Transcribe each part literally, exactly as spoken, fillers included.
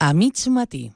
A mig matí.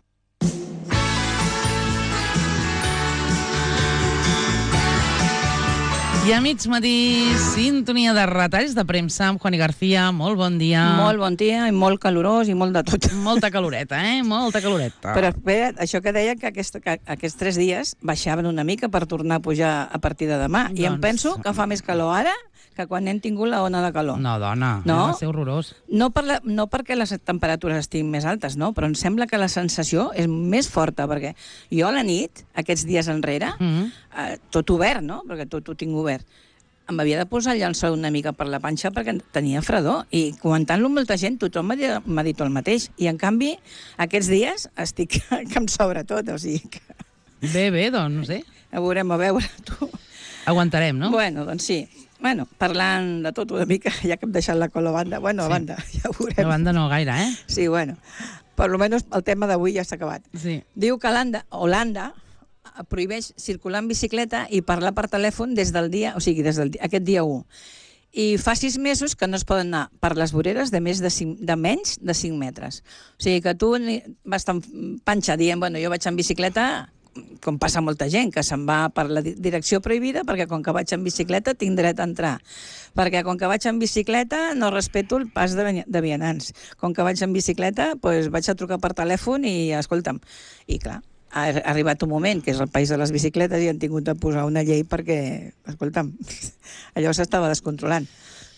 I a mig matí, sintonia de retalls de premsa amb Juani García. Molt bon dia. Molt bon dia i molt calorós i molt de tot. Molta caloreta, eh? Molta caloreta. Però espera, això que deia que, aquest, que aquests tres dies baixaven una mica per tornar a pujar a partir de demà. Doncs... I em penso que fa més calor ara que quan hem tingut la ona de calor. No, dona, no? Va ser horrorós. No, per la, no perquè les temperatures estiguin més altes, no? Però em sembla que la sensació és més forta, perquè jo a la nit, aquests dies enrere, mm -hmm. eh, tot obert, no? Perquè tot ho tinc obert, em havia de posar el llençol una mica per la panxa perquè tenia fredor. I comentant-lo amb molta gent, tothom m'ha dit el mateix. I, en canvi, aquests dies estic que em sobra tot, o sigui que... Bé, bé, doncs, no sé. A veurem, a veure, tu... Aguantarem, no? Bueno, doncs sí. Bueno, parlant de tot una mica, ja que hem deixat la cola a banda. Bueno, a sí. banda, ja ho veurem. A banda no gaire, eh? Sí, bueno. Per lo menos el tema d'avui ja s'ha acabat. Sí. Diu que Holanda, Holanda prohibeix circular en bicicleta i parlar per telèfon des del dia, o sigui, des del dia, aquest dia u. I fa sis mesos que no es poden anar per les voreres de, més de, cinc, de menys de cinc metres. O sigui que tu vas tan panxa dient, bueno, jo vaig en bicicleta, com passa molta gent, que se'n va per la direcció prohibida, perquè com que vaig en bicicleta tinc dret a entrar. Perquè com que vaig en bicicleta no respeto el pas de, de vianants. Com que vaig en bicicleta, doncs vaig a trucar per telèfon i, escolta'm, i clar, ha arribat un moment, que és el país de les bicicletes, i han tingut de posar una llei perquè, escolta'm, allò s'estava descontrolant.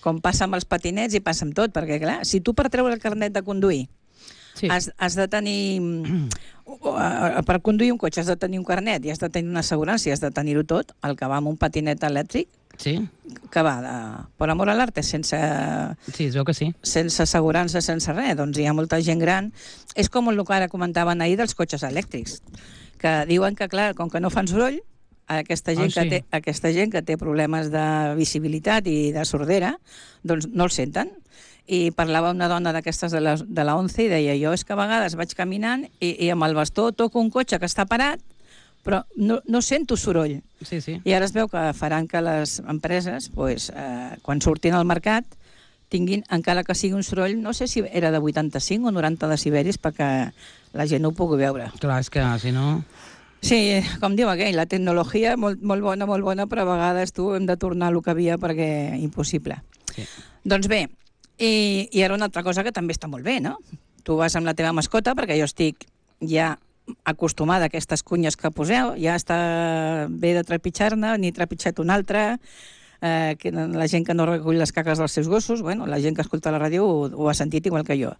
Com passa amb els patinets i passa amb tot, perquè clar, si tu per treure el carnet de conduir sí. has, has de tenir... per conduir un cotxe has de tenir un carnet i has de tenir una assegurança i has de tenir-ho tot, el que va amb un patinet elèctric, sí. que va de, per amor a l'arte, sense... Sí, es veu que sí. Sense assegurança, sense res. Doncs hi ha molta gent gran. És com el que ara comentaven ahir dels cotxes elèctrics, que diuen que, clar, com que no fan soroll, aquesta gent, oh, sí. que, té, aquesta gent que té problemes de visibilitat i de sordera, doncs no el senten. I parlava una dona d'aquestes de la, de la ONCE i deia, jo és que a vegades vaig caminant i, i amb el bastó toco un cotxe que està parat, però no, no sento soroll. Sí, sí. I ara es veu que faran que les empreses, pues, eh, quan surtin al mercat, tinguin, encara que sigui un soroll, no sé si era de vuitanta-cinc o noranta decibelis, perquè la gent ho pugui veure. Clar, és que si no... Sí, com diu aquell, la tecnologia molt, molt bona, molt bona, però a vegades tu hem de tornar a lo que havia perquè impossible. Sí. Doncs bé, i, i ara una altra cosa que també està molt bé, no? Tu vas amb la teva mascota, perquè jo estic ja acostumada a aquestes cunyes que poseu, ja està bé de trepitjar-ne, ni trepitjat una altra, eh, que la gent que no recull les caques dels seus gossos, bueno, la gent que escolta la ràdio ho, ho ha sentit igual que jo.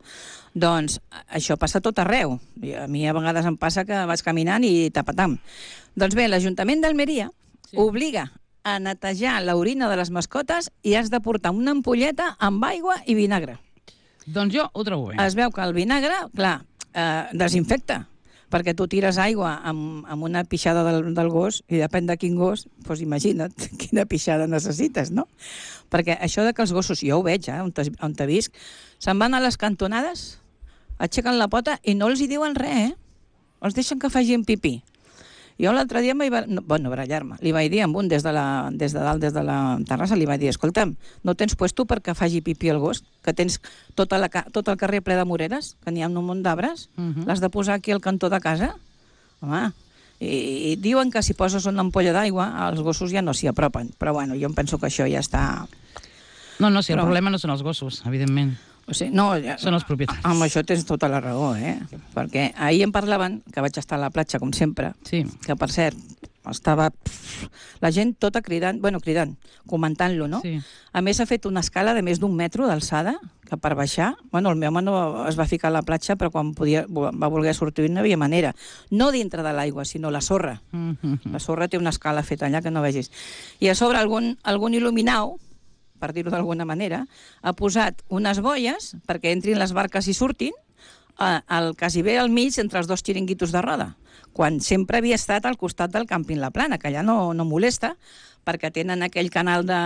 Doncs això passa tot arreu. A mi a vegades em passa que vaig caminant i tapatam. Doncs bé, l'Ajuntament d'Almeria sí. obliga a netejar l'orina de les mascotes i has de portar una ampolleta amb aigua i vinagre. Doncs jo ho trobo bé. Es veu que el vinagre, clar, eh, desinfecta, perquè tu tires aigua amb, amb una pixada del, del gos i depèn de quin gos, doncs imagina't quina pixada necessites, no? Perquè això de que els gossos, jo ho veig, eh, on, te, on te visc, se'n van a les cantonades, aixequen la pota i no els hi diuen res, eh? Els deixen que facin pipí. Jo l'altre dia, vaig, no, bueno, barallar-me, li vaig dir amb un des de, la, des de dalt, des de la terrassa, li vaig dir, escolta'm, no tens puesto perquè faci pipí el gos, que tens tota la, tot el carrer ple de moreres, que n'hi ha un munt d'arbres, uh-huh. l'has de posar aquí al cantó de casa? Home, i, i diuen que si poses una ampolla d'aigua, els gossos ja no s'hi apropen, però bueno, jo em penso que això ja està... No, no, si però... el problema no són els gossos, evidentment. O sigui, no, ja, són els propietaris. Amb això tens tota la raó, eh? Perquè ahir em parlaven, que vaig estar a la platja, com sempre, sí. que, per cert, estava... Pff, la gent tota cridant, bueno, cridant, comentant-lo, no? Sí. A més, ha fet una escala de més d'un metro d'alçada, que per baixar... Bueno, el meu home no es va ficar a la platja, però quan podia, va voler sortir no hi havia manera. No dintre de l'aigua, sinó la sorra. Mm-hmm. La sorra té una escala feta allà que no vegis. I a sobre algun, algun il·luminau, per dir-ho d'alguna manera, ha posat unes boies perquè entrin les barques i surtin el quasi bé al mig entre els dos xiringuitos de roda, quan sempre havia estat al costat del càmping La Plana, que allà no, no molesta, perquè tenen aquell canal de...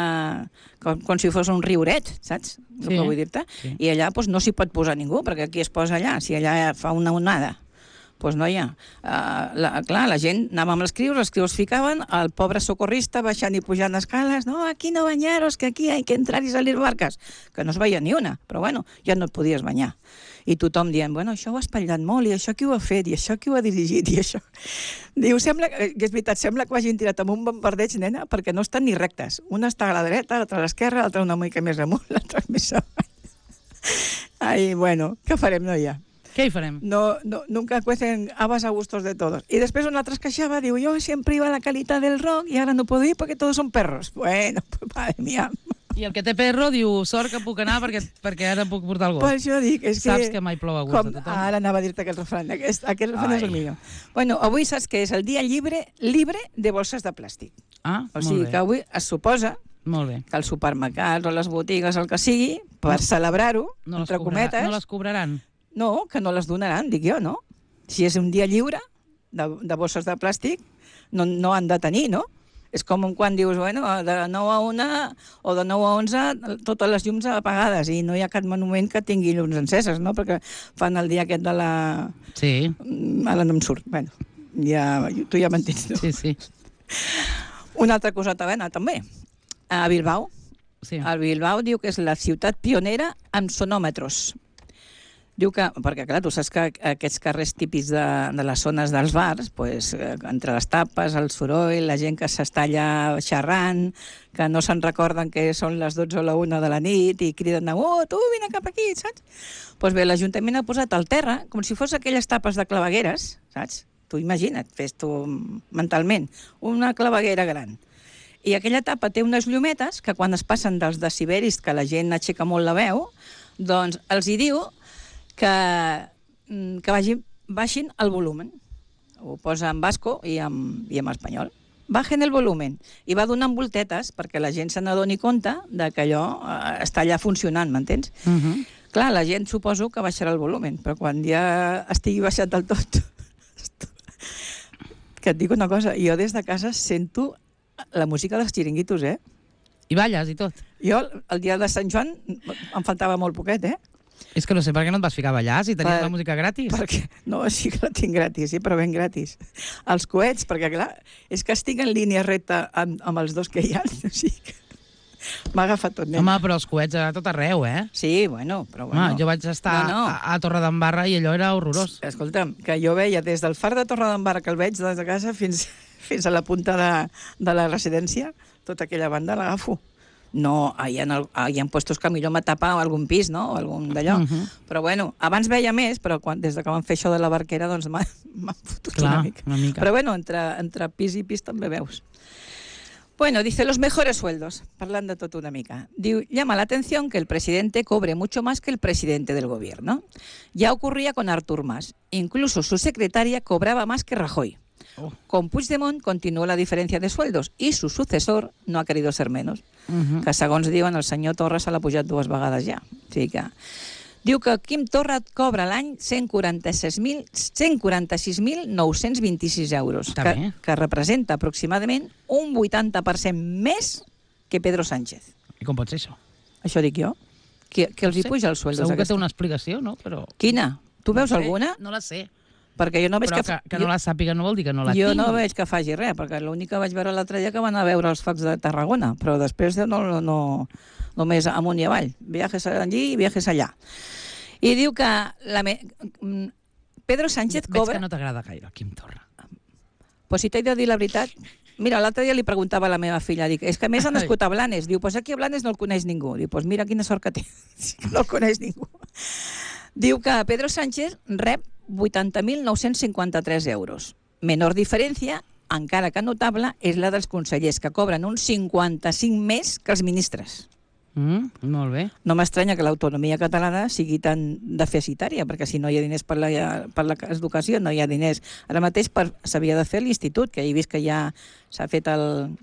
com, com si fos un rioret, saps? Sí. El que vull dir-te? Sí. I allà doncs, no s'hi pot posar ningú, perquè aquí es posa allà, si allà fa una onada. pues noia, uh, la, clar, la gent anava amb les crius, les crius ficaven, el pobre socorrista baixant i pujant escales, no, aquí no banyaros, que aquí hay que entrar i salir barques, que no es veia ni una, però bueno, ja no et podies banyar. I tothom dient, bueno, això ho ha espatllat molt, i això qui ho ha fet, i això qui ho ha dirigit, i això... Diu, sembla, que és veritat, sembla que ho hagin tirat amb un bombardeig, nena, perquè no estan ni rectes. Una està a la dreta, l'altra a l'esquerra, l'altra una mica més amunt, l'altra més avall. Ai, bueno, què farem, noia? Què hi farem? No, no, nunca cuecen habas a gustos de todos. Y después un altre es queixava, diu, yo siempre iba a la calita del rock y ahora no puedo ir porque todos son perros. Bueno, pues madre mía. I el que té perro diu, sort que puc anar perquè, perquè ara puc portar el gos. Pues jo dic, és que... Saps que mai plou a gust com, de tothom. Ara anava a dir-te aquest refrany. Aquest, aquest refrany és el millor. Bueno, avui saps que és el dia llibre libre de bolses de plàstic. Ah, o sigui molt bé. que avui es suposa Molt bé. que els supermercats o les botigues, el que sigui, per no. celebrar-ho, no entre cobrarà, cometes... No les cobraran? No, que no les donaran, dic jo, no? Si és un dia lliure de, de bosses de plàstic, no, no han de tenir, no? És com quan dius, bueno, de nou a una o de nou a onze totes les llums apagades i no hi ha cap monument que tingui llums enceses, no? Perquè fan el dia aquest de la... Sí. Ara no em surt. Bueno, ja, tu ja m'entens, no? Sí, sí. Una altra coseta bona, també. A Bilbao. Sí. A Bilbao diu que és la ciutat pionera amb sonòmetres. Diu que, perquè clar, tu saps que aquests carrers típics de, de les zones dels bars, pues, entre les tapes, el soroll, la gent que s'està allà xerrant, que no se'n recorden que són les dotze o la una de la nit i criden, oh, tu, vine cap aquí, saps? Doncs pues bé, l'Ajuntament ha posat al terra, com si fos aquelles tapes de clavegueres, saps? Tu imagina't, fes tu mentalment, una claveguera gran. I aquella tapa té unes llumetes que quan es passen dels deciberis, que la gent aixeca molt la veu, doncs els hi diu que, que vagin, baixin el volumen. Ho posa en basco i en, i en espanyol. Bajen el volumen. I va donant voltetes perquè la gent se n'adoni compte de que allò està allà funcionant, m'entens? Uh -huh. Clar, la gent suposo que baixarà el volumen, però quan ja estigui baixat del tot... que et dic una cosa, jo des de casa sento la música dels xiringuitos, eh? I balles i tot? Jo, el dia de Sant Joan, em faltava molt poquet, eh? És que no sé per què no et vas ficar a ballar, si tenies per, la música gratis. Perquè, no, sí que la tinc gratis, sí, però ben gratis. Els coets, perquè clar, és que estic en línia recta amb, amb els dos que hi ha, o sigui que m'ha agafat tot, nen. Home, però els coets a tot arreu, eh? Sí, bueno, però bueno. Home, jo vaig estar no, no. a, a Torredembarra i allò era horrorós. Escolta'm, que jo veia des del far de Torredembarra, que el veig des de casa, fins, fins a la punta de, de la residència, tota aquella banda l'agafo. No, hi ha, hi ha puestos que millor m'atapa algun pis, no?, o algun d'allò. Uh -huh. Però bueno, abans veia més, però quan, des de que van fer això de la barquera, doncs m'han fotut Clar, una mica. una mica. Però bueno, entre, entre pis i pis també veus. Bueno, dice, los mejores sueldos, parlant de tot una mica. Diu, llama la atención que el presidente cobre mucho más que el presidente del gobierno. Ya ocurría con Artur Mas. Incluso su secretaria cobraba más que Rajoy. Oh. Con Puigdemont continuó la diferencia de sueldos y su sucesor no ha querido ser menos. Uh-huh. Que segons diuen, el senyor Torra se l'ha pujat dues vegades ja. O sigui que... Diu que Quim Torra cobra l'any cent quaranta-sis mil nou-cents vint-i-sis euros, que, que representa aproximadament un vuitanta per cent més que Pedro Sánchez. I com pot ser això? Això dic jo. Que, que els no sé. Hi puja els sueldos. Segur que té una explicació, no? Però... Quina? Tu veus no sé, alguna? No la sé. Perquè jo no veig però que... que, que no la sàpiga no vol dir que no la jo tingui. Jo no veig que faci res, perquè l'únic que vaig veure l'altre dia que van a veure els focs de Tarragona, però després no, no, no només amunt i avall. Viajes allí i viajes allà. I diu que la me... Pedro Sánchez Veig cobra... que no t'agrada gaire, Quim Torra. Pues si t'he de dir la veritat... Mira, l'altre dia li preguntava a la meva filla, dic, és que a més ha nascut a Blanes. Diu, pues aquí a Blanes no el coneix ningú. Diu, pues mira quina sort que té. No el coneix ningú. Diu que Pedro Sánchez rep vuitanta mil nou-cents cinquanta-tres euros. Menor diferència, encara que notable, és la dels consellers, que cobren un cinquanta-cinc més que els ministres. Mm, molt bé. No m'estranya que l'autonomia catalana sigui tan deficitària, perquè si no hi ha diners per l'educació, no hi ha diners. Ara mateix s'havia de fer l'institut, que he vist que ja s'ha fet el,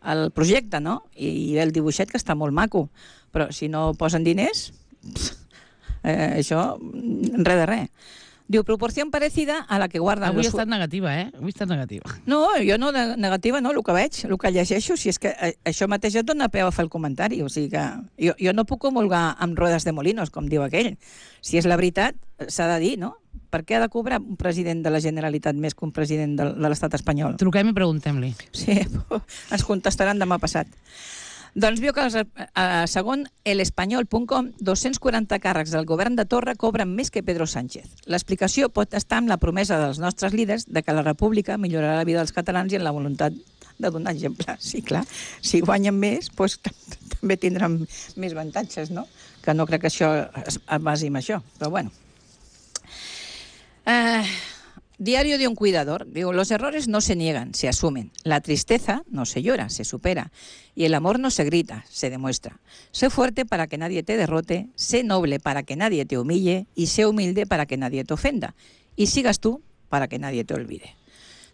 el projecte, no? I el dibuixet, que està molt maco. Però si no posen diners, pff, eh, això, res de res. Diu, proporció parecida a la que guarden... Avui los... ha estat negativa, eh? Avui ha estat negativa. No, jo no, de negativa no, el que veig, el que llegeixo, si és que eh, això mateix et dona peu a fer el comentari, o sigui que jo, jo no puc comulgar amb rodes de molinos, com diu aquell. Si és la veritat, s'ha de dir, no? Per què ha de cobrar un president de la Generalitat més que un president de, de l'estat espanyol? Truquem i preguntem-li. Sí, ens contestaran demà passat. Doncs viu que, els, eh, segon el espanyol punt com, dos-cents quaranta càrrecs del govern de Torra cobren més que Pedro Sánchez. L'explicació pot estar en la promesa dels nostres líders de que la república millorarà la vida dels catalans i en la voluntat de donar exemple. Sí, clar, si guanyen més, doncs, també tindran més avantatges, no? Que no crec que això es basi en això, però bueno. Eh... Diario de un cuidador. Digo, los errores no se niegan, se asumen. La tristeza no se llora, se supera. Y el amor no se grita, se demuestra. Sé fuerte para que nadie te derrote, sé noble para que nadie te humille y sé humilde para que nadie te ofenda. Y sigas tú para que nadie te olvide.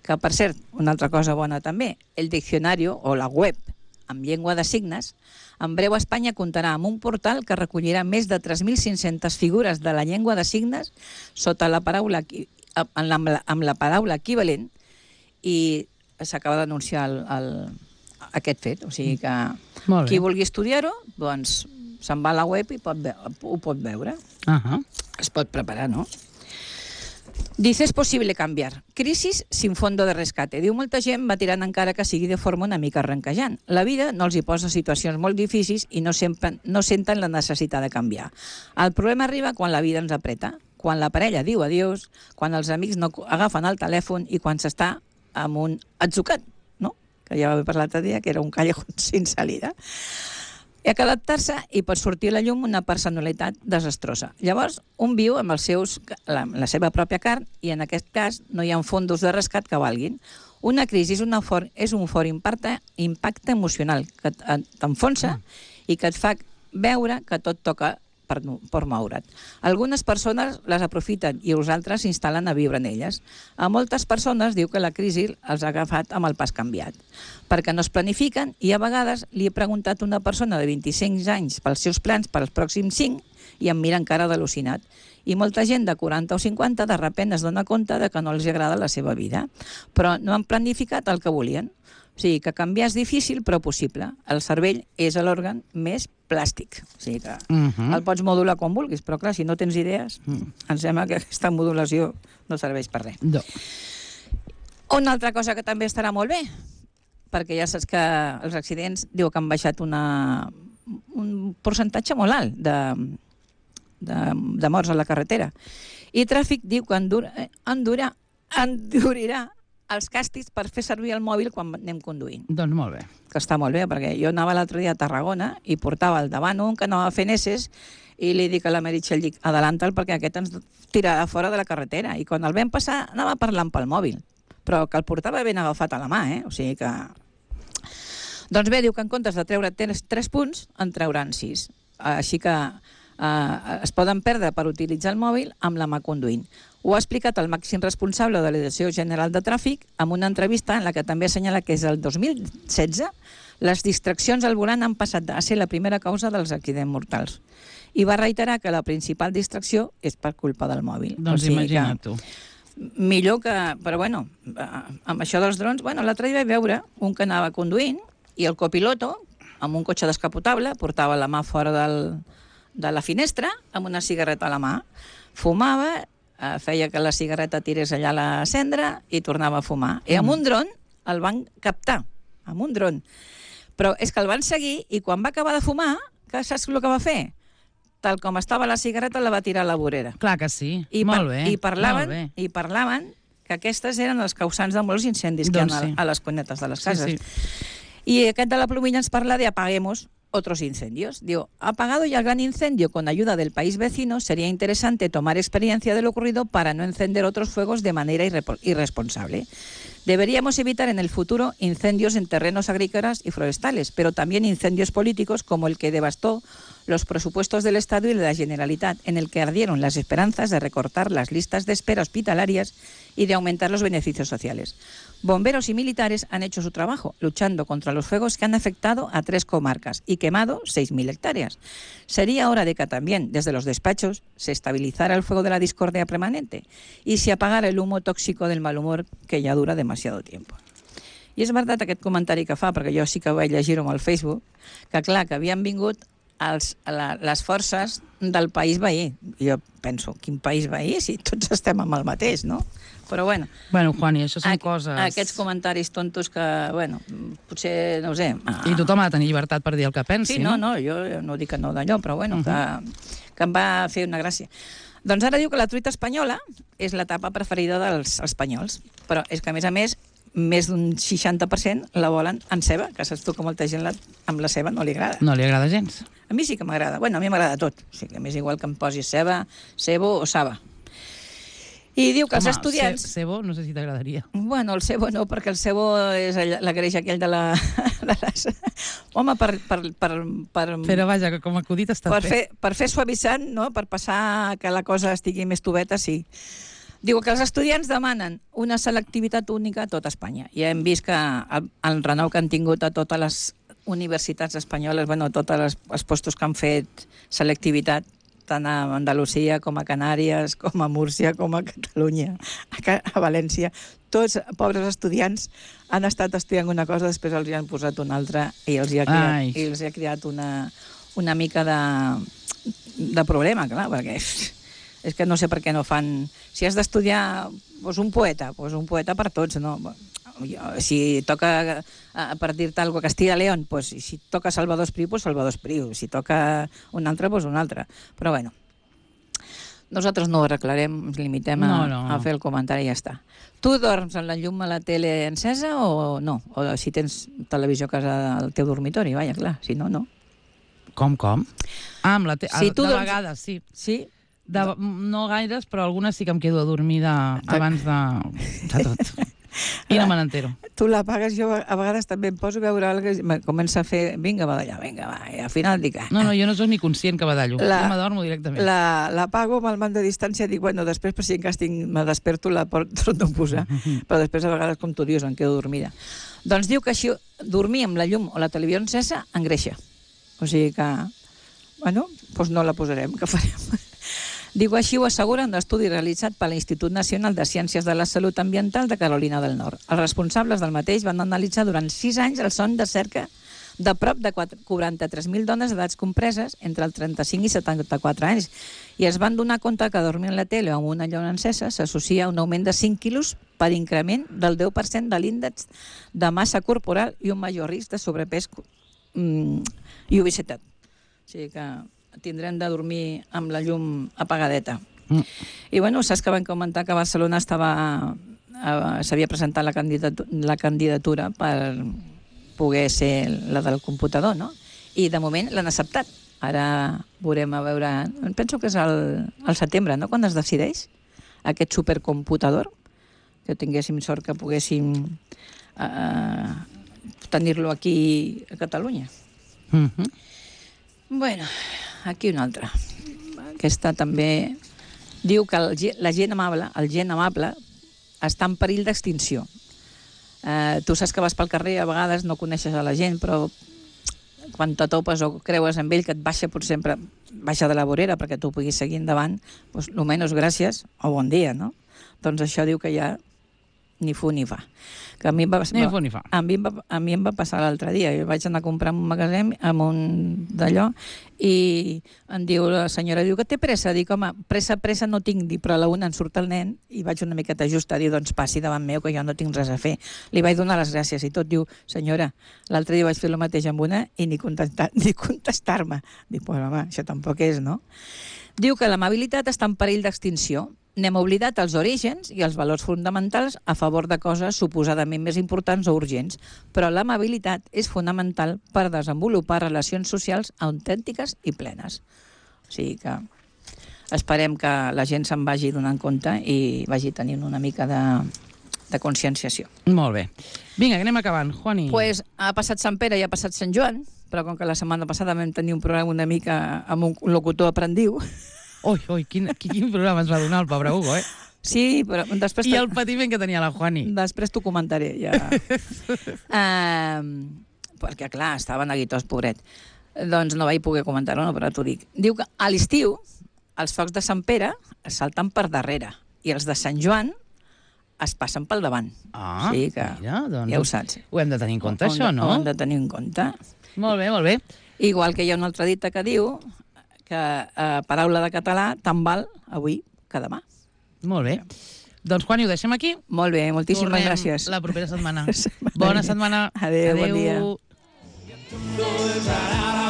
Que, per cert, una altra cosa bona també, el diccionari o la web amb llengua de signes, en breu Espanya comptarà amb un portal que recollirà més de tres mil cinc-centes figures de la llengua de signes sota la paraula amb la, amb la paraula equivalent, i s'acaba d'anunciar el, el, aquest fet. O sigui que qui vulgui estudiar-ho, doncs se'n va a la web i pot ve ho pot veure. Uh-huh. Es pot preparar, no? Dice, es possible canviar. Crisis sin fondo de rescate. Diu, molta gent va tirant encara que sigui de forma una mica arrencajant. La vida no els hi posa situacions molt difícils i no, sempre, no senten la necessitat de canviar. El problema arriba quan la vida ens apreta, quan la parella diu adiós, quan els amics no agafen el telèfon i quan s'està amb un atzucat, no? Que ja va haver parlat l'altre dia, que era un callejón sin salida. Hi ha que adaptar-se i pot sortir a la llum una personalitat desastrosa. Llavors, un viu amb els seus, la, la seva pròpia carn i en aquest cas no hi ha fondos de rescat que valguin. Una crisi és, una for, és un fort impacte, impacte emocional que t'enfonsa i que et fa veure que tot toca per, per moure't. Algunes persones les aprofiten i els altres s'instal·len a viure en elles. A moltes persones diu que la crisi els ha agafat amb el pas canviat, perquè no es planifiquen i a vegades li he preguntat a una persona de vint-i-cinc anys pels seus plans per als pròxims cinc i em mira encara d'al·lucinat. I molta gent de quaranta o cinquanta de sobte es dona compte de que no els agrada la seva vida, però no han planificat el que volien. O sigui, que canviar és difícil, però possible. El cervell és l'òrgan més plàstic. O sigui que uh-huh. el pots modular com vulguis, però clar, si no tens idees, uh-huh. em sembla que aquesta modulació no serveix per res. No. Una altra cosa que també estarà molt bé, perquè ja saps que els accidents diu que han baixat una, un percentatge molt alt de, de, de morts a la carretera. I Tràfic diu que endura, endura, endurirà els càstigs per fer servir el mòbil quan anem conduint. Doncs molt bé. Que està molt bé, perquè jo anava l'altre dia a Tarragona i portava al davant un que anava fent esses i li dic a la Meritxell, dic, adelanta'l perquè aquest ens tirarà fora de la carretera. I quan el vam passar anava parlant pel mòbil, però que el portava ben agafat a la mà, eh? O sigui que... Doncs bé, diu que en comptes de treure tres punts, en trauran sis. Així que eh, es poden perdre per utilitzar el mòbil amb la mà conduint. Ho ha explicat el màxim responsable de la Direcció General de Tràfic en una entrevista en la que també assenyala que és el dos mil setze les distraccions al volant han passat a ser la primera causa dels accidents mortals. I va reiterar que la principal distracció és per culpa del mòbil. Doncs o sigui imagina't tu. Millor que... Però bueno, amb això dels drons... Bueno, l'altre dia vaig veure un que anava conduint i el copiloto, amb un cotxe descapotable, portava la mà fora del, de la finestra amb una cigarreta a la mà. Fumava, feia que la cigarreta tirés allà a la cendra i tornava a fumar. I amb un dron el van captar, amb un dron. Però és que el van seguir i quan va acabar de fumar, que saps el que va fer? Tal com estava la cigarreta, la va tirar a la vorera. Clar que sí, I molt bé. I parlaven, molt bé. I parlaven que aquestes eren els causants de molts incendis que doncs hi ha sí. a les cunetes de les cases. Sí, sí. I aquest de la plomilla ens parla de apaguemos otros incendios. Digo, apagado ya el gran incendio con ayuda del país vecino, sería interesante tomar experiencia de lo ocurrido para no encender otros fuegos de manera irre irresponsable. Deberíamos evitar en el futuro incendios en terrenos agrícolas y forestales, pero también incendios políticos como el que devastó los presupuestos del Estado y de la Generalitat, en el que ardieron las esperanzas de recortar las listas de espera hospitalarias y de aumentar los beneficios sociales. Bomberos y militares han hecho su trabajo, luchando contra los fuegos que han afectado a tres comarcas y quemado seis mil hectáreas. Sería hora de que también, desde los despachos, se estabilizara el fuego de la discordia permanente y se apagara el humo tóxico del mal humor que ja dura demasiado tiempo. I és veritat aquest comentari que fa, perquè jo sí que vaig llegir-ho al Facebook, que clar, que havien vingut els, la, les forces del país veí. Jo penso, quin país veí? Si tots estem amb el mateix, no? Però bueno... Bueno, Juani, això són a, coses... Aquests comentaris tontos que, bueno, potser, no ho sé... Ah, I tothom ha de tenir llibertat per dir el que pensi, sí, no? no, no, jo no dic que no d'allò, però bueno, uh -huh. que, que em va fer una gràcia. Doncs ara diu que la truita espanyola és la tapa preferida dels espanyols, però és que, a més a més, més d'un seixanta per cent la volen en ceba, que saps tu que molta gent la, amb la ceba no li agrada. No li agrada gens. A mi sí que m'agrada. Bueno, a mi m'agrada tot. O sigui, que m'és igual que em posis ceba, cebo o saba. I diu que els Home, estudiants... Ce cebo no sé si t'agradaria. Bueno, el cebo no, perquè el cebo és la greix aquell de la... De les... Home, per, per, per, per... Però vaja, que com a acudit està per bé. Fer, per fer suavitzant, no? Per passar que la cosa estigui més tubeta, sí. Diu que els estudiants demanen una selectivitat única a tota Espanya. Ja hem vist que el, el renou que han tingut a totes les universitats espanyoles, bueno, a tots els, els postos que han fet selectivitat, tant a Andalusia com a Canàries, com a Múrcia, com a Catalunya, a, a València. Tots, pobres estudiants, han estat estudiant una cosa, després els hi han posat una altra i els hi ha creat, i els hi ha creat una, una mica de, de problema, clar, perquè és que no sé per què no fan... Si has d'estudiar doncs un poeta, doncs un poeta per tots, no? Si toca, per dir-te alguna cosa, Castilla León, doncs si toca Salvador Espriu, doncs Salvador Espriu. Si toca un altre, doncs un altre. Però bueno, nosaltres no ho arreglarem, ens limitem a, no, no, no. a fer el comentari i ja està. Tu dorms amb la llum a la tele encesa o no? O si tens televisió a casa al teu dormitori, vaja, clar, si no, no. Com, com? Ah, amb la tele, si de dorms... vegades, sí. Sí? De, no gaires, però algunes sí que em quedo adormida abans de, de tot. I no me n'entero. Tu l'apagues, jo a vegades també em poso a veure alguna cosa, comença a fer, vinga, badallar, vinga, va, i al final dic... Ah, no, no, jo no soc ni conscient que badallo, la, jo m'adormo directament. L'apago amb el mand de distància, dic, bueno, després per si en cas tinc, me desperto, la torno a posar, però després a vegades, com tu dius, em quedo dormida. Doncs diu que així, dormir amb la llum o la televisió encesa engreixa. O sigui que, bueno, doncs no la posarem, que farem... Diu, així ho assegura un estudi realitzat per l'Institut Nacional de Ciències de la Salut Ambiental de Carolina del Nord. Els responsables del mateix van analitzar durant sis anys el son de cerca de prop de quaranta-tres mil dones d'edats compreses entre el trenta-cinc i setanta-quatre anys i es van donar compte que dormir en la tele o amb una llum encesa s'associa a un augment de cinc quilos per increment del deu per cent de l'índex de massa corporal i un major risc de sobrepès mm, i obesitat. O sigui que tindrem de dormir amb la llum apagadeta. Mm. I bueno, saps que van comentar que a Barcelona estava s'havia presentat la candidatura, la candidatura per poder ser la del computador, no? I de moment l'han acceptat. Ara veurem a veure... Penso que és al, al setembre, no?, quan es decideix aquest supercomputador, que tinguéssim sort que poguéssim uh, tenir-lo aquí a Catalunya. Mm-hmm. Bueno, aquí una altra. Aquesta també diu que el, la gent amable, el gent amable està en perill d'extinció. Eh, tu saps que vas pel carrer, a vegades no coneixes a la gent, però quan te topes o creues amb ell que et baixa per sempre, baixa de la vorera perquè tu puguis seguir endavant, doncs almenys gràcies o bon dia, no? Doncs això diu que ja ni fu ni fa. Que a mi em va, ni fu ni fa. A mi, em va, a mi em va passar l'altre dia. Jo vaig anar a comprar un magatzem amb un d'allò i em diu la senyora, diu que té pressa. Dic, home, pressa, pressa no tinc, dic, però a la una em surt el nen i vaig una miqueta justa a dir, doncs passi davant meu que jo no tinc res a fer. Li vaig donar les gràcies i tot. Diu, senyora, l'altre dia vaig fer el mateix amb una i ni contestar, ni contestar-me. Dic, pues home, això tampoc és, no? Diu que l'amabilitat està en perill d'extinció. N'hem oblidat els orígens i els valors fonamentals a favor de coses suposadament més importants o urgents, però l'amabilitat és fonamental per desenvolupar relacions socials autèntiques i plenes. O sigui que esperem que la gent se'n vagi donant compte i vagi tenint una mica de, de conscienciació. Molt bé. Vinga, que anem acabant. Juani. Pues ha passat Sant Pere i ha passat Sant Joan, però com que la setmana passada vam tenir un programa una mica amb un locutor aprendiu... Ui, ui, quin, quin programa ens va donar el pobre Hugo, eh? Sí, però després... I el patiment que tenia la Juani. Després t'ho comentaré, ja. uh, perquè, clar, estava neguitós, pobret. Doncs no vaig poder comentar-ho, no, però t'ho dic. Diu que a l'estiu els focs de Sant Pere es salten per darrere i els de Sant Joan es passen pel davant. Ah, sí que mira, doncs... Ja ho saps. Ho hem de tenir en compte, ho això, de, no? Ho hem de tenir en compte. Molt bé, molt bé. Igual que hi ha una altra dita que diu que eh, paraula de català tant val avui que demà. Molt bé. Doncs, Juani, ho deixem aquí? Molt bé, moltíssimes Tornem gràcies. la propera setmana. Bona setmana. Adéu, Adéu. bon dia.